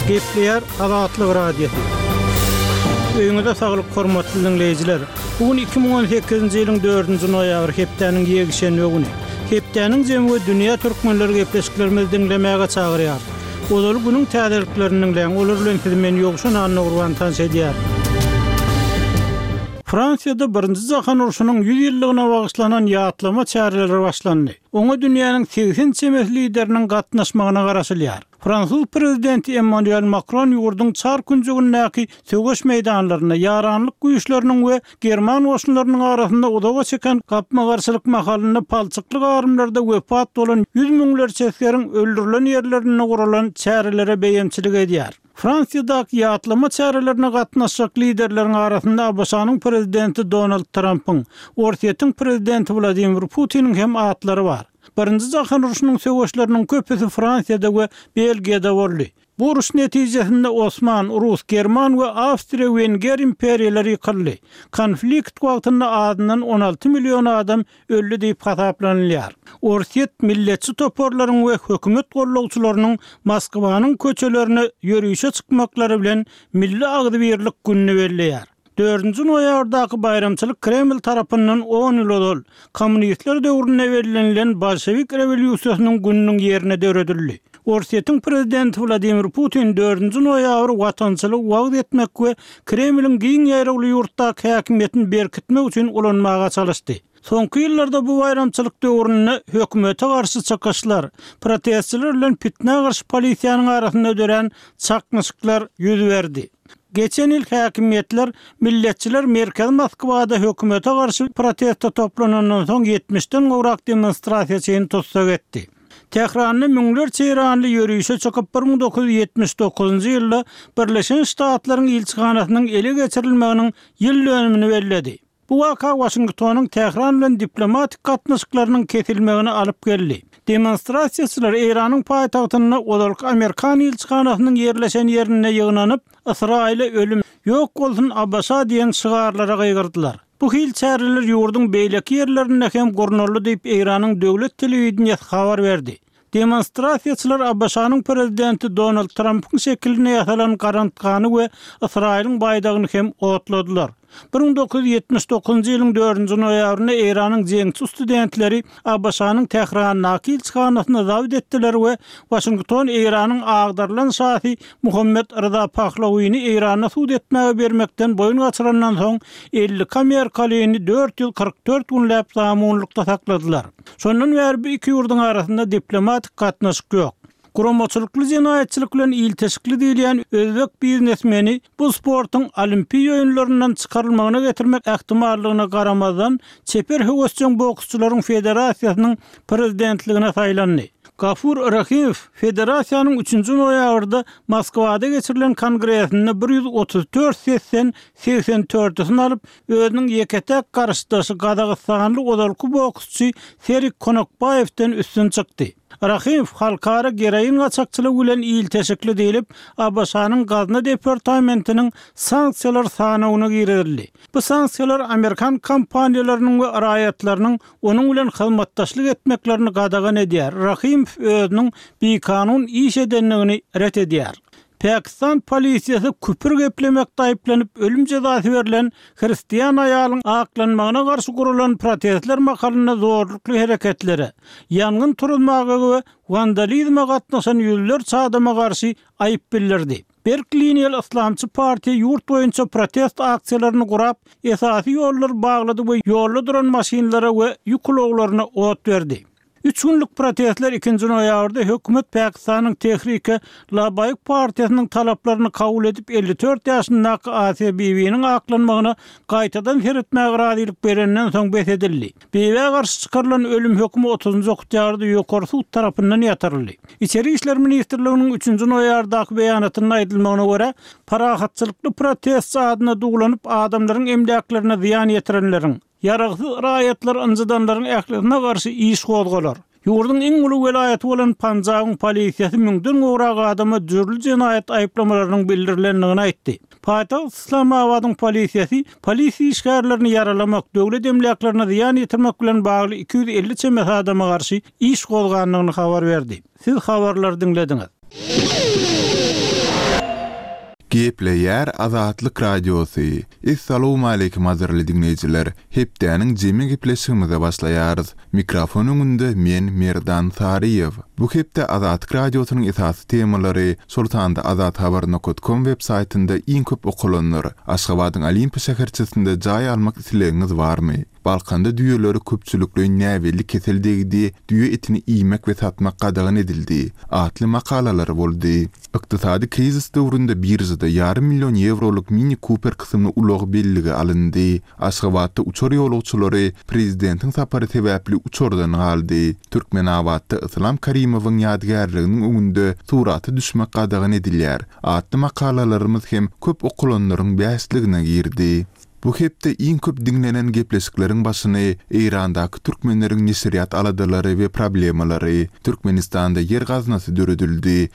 Gepleýär Azatlyk Radiosy. Öýüňize saglyk hormatly diňleýjiler. Bu gün 2018-nji ýylyň 4-nji noýabry hepdäniň ýekşenbe güni. Hepdäniň jemi we dünýä türkmenleri gepleşiklerimizi diňlemäge çagyrýar. Ozaly günüň täzeliklerini diňläň, olar bilen sizi men Ýowşan Annagurban tanyş edýärin. Fransiýada Birinji jahan urşunyň 100 ýyllygyna bagyşlanan ýatlama çäreleri başlandy. Oňa dünýäniň 80 çemesi lideriniň gatnaşmagyna garaşylýar. Fransuz prezidenti Emmanuel Makron ýurduň çar künjegindäki söweş meýdanlarynda ýaranlyk güýçleriniň we german goşunlarynyň arasynda uzaga çeken gapma-garşylyk mahalynda palçykly garymlarda wepat bolan ýüz müňlerçe esgeriň öldürilen ýerlerinde guralan çärelere beýemçilik edýär. Fransiýadaky ýatlama çärelerine gatnaşjak liderleriň arasynda ABŞ-nyň prezidenti Donald Trampyň, Orsýetiň prezidenti Wladimir Putiniň hem atlary bar. Birinji jahan urşunyň söweşleriniň köpüsi Fransiýada we Belgiýada boldy. Bu uruş netijesinde Osman, Rus, German we Awstriýa-Wenger imperiýalary ýykyldy. Konflikt wagtynda azyndan 16 million adam öldi diýip hasaplanylýar. Orsýet milletçi toparlaryň we hökümet gollagçylarynyň Moskwanyň köçelerine ýörişe çykmaklary bilen Milli agzybirlik gününi belleýär. Dördünji noýabrdaky baýramçylyk Kreml tarapyndan on ýyl ozal, kommunistler döwründe bellenilen bolşewik rewolýusiýasynyň gününiň ýerine döredildi. Orsýetiň prezidenti Wladimir Putin dördünji noýabry watançylygy wagyz etmek we Kremliň giň ýaýrawly ýurtdaky häkimiýetini berkitmek üçin ulanmaga çalyşdy. Soňky ýyllarda bu baýramçylyk döwründe hökümete garşy çykyşlar, protestçiler bilen pitnä garşy polisiýanyň arasynda dörän çaknyşyklar ýüz berdi. Geçen ýyl häkimiýetler milletçiler merkezi Moskwada hökümete garşy proteste toplanandan soň ýetmişden gowrak demonstrasiýaçyny tussag etdi. Tähranda müňlerçe eýranly ýörişe çykyp, 1979-njy ýylda Birleşen Ştatlaryň ilçihanasynyň ele geçirilmeginiň ýyl dönümini belledi. Bu waka Waşingtonyň Tähran bilen diplomatik gatnaşyklarynyň kesilmegine alyp geldi. Demonstrasiýaçylar Eýranyň paýtagtynda ozalky amerikan ilçihanasynyň ýerleşen ýerinde ýygnanyp, Ysraýyla ölüm, Ýok bolsun ABŞ diýen şygarlara gygyrdylar. Bu hil çäreler ýurduň beýleki ýerlerinde hem gurnaldy diýip, Eýranyň döwlet telewideniýesi habar berdi. Demonstrasiýaçylar ABŞ-nyň prezidenti Donald Trampyň şekilinde ýasalan garantgany we Ysraýylyň baýdagyny hem otladylar. 1979-njy ýylyň dördünji noýabrynda Eýranyň jeňçi studentleri ABŞ-nyň Tährandaky ilçihanasyny zabt etdiler we Waşington Eýranyň agdarylan şasy Muhammet Ryza Pahlawini Eýranda sud etmäge bermekden boýun gaçyrandan soň 52 amerikalyny 444 günläp zamunlykda sakladylar. Şondan bäri bu iki ýurduň arasynda diplomatik gatnaşyk ýok. Guramaçylykly jenaýatçylyk bilen ilteşikli diýilýän özbek biznesmeni bu sportuň Olimpiýa oýunlaryndan çykarylmagyna getirmek ähtimallygyna garamazdan, çeper höwesjeň boksçularyň federasiýasynyň prezidentligine saýlandy. Gafur Rahimow federasiýanyň üçünji noýabrda Moskwada geçirilen kongresinde 134 sesden 84-sini alyp, özüniň ýeke-täk garşydaşy gazagystanly ozalky boksçy Serik Konokbaýewden üstün çykdy. Rahymow halkara geroin gaçakçylygy bilen ilteşikli diýlip, ABŞ-nyň Gazna departamentiniň sanksiýalar sanawyna girizildi. Bu sanksiýalar amerikan kompaniýalarynyň we raýatlarynyň onuň bilen hyzmatdaşlyk etmeklerini gadagan edýär. Rahymow özüniň bikanun iş edendigini ret edýär. Pakistan polisiýasy küpür geplemekde aýyplanyp ölüm jezasy berlen hristian aýalyň aklanmagyna garşy guralan protestler mahalynda zorlukly hereketlere, ýangyn turuzmaga we wandalizme gatnaşan ýüzlerçe adama garşy aýyp bildirdi. Berk liniýaly yslamçy partiýa ýurt boýunça protest aksiýalaryny gurap, esasy ýollary baglady we ýolda duran maşynlara we ýük ulaglaryna ot berdi. Üç günlük protestler ikinji noýabrda hökümet Pakistanyň Tehrike Labaýk partiýasynyň talaplaryny kabul edip, 54 ýaşyndaky Asiýa Bibiniň aklanmagyna gaýtadan seretmäge razylyk berenden soň bes edildi. Bibä garşy çykarylan ölüm hökümi otuzynjy oktýabrda Ýokary sud tarapyndan ýatyryldy. Içeri işler ministrliginiň üçünji noýabrdaky beýanatynda aýdylmagyna görä, parahatçylykly protestçi adyna duwlanyp adamlaryň emläklerine zyýan ýetirenleriň, Ýaragsyz raýatlary ynjydanlaryň ählisine garşy iş gozgalar. Ýurduň iň uly welaýaty bolan Panjabyň polisiýasy müňden gowrak adama dürli jenaýat aýyplamalarynyň bildirilendigini aýtdy. Paýtagt Yslamabadyň polisiýasy polisiýa işgärlerini ýaralamak, döwlet emläklerine zyýan ýetirmek bilen bagly 250 çemesi adama garşy iş gozgandygyny habar berdi. Siz habarlary diňlediňiz. Gepleýär Azatlyk Radiosy. Essalowmaleýkim gadyrly diňleýjiler! Hepdäniň jemi gepleşigimize başlaýarys. Mikrofon öňünde men Merdan Saryýew. Bu hepde Azatlyk Radiosynyň esasy temalary, şol sanda azathabar nokat kom web saýtynda iň köp okalanlar, Aşgabadyň Olimpiýa şäherçesinde jaý almak islegiňiz barmy? Balkanda düýelere köpçülikleýin näbelli kesel degdi, düýe etini iýmek we satmak gadagan edildi atly makalalar boldy. Ykdysady krizis döwründe biržada ýarym million ýewrolyk Mini Cooper kysymly ulag bellige alyndy. Aşgabatda uçar ýolagçylary prezidentiň sapary sebäpli uçardan galdy. Türkmenabatda Yslam Karimowyň ýadygärliginiň öňünde surata düşmek gadagan edilýär atly makalalarymyz hem köp okalanlaryň bäşligine girdi. Bu hepde iň köp diňlenen gepleşikleriň başyny Eýrandaky türkmenleriň neşirýat aladalary we problemalary, Türkmenistanda ýer gaznasy döredildi.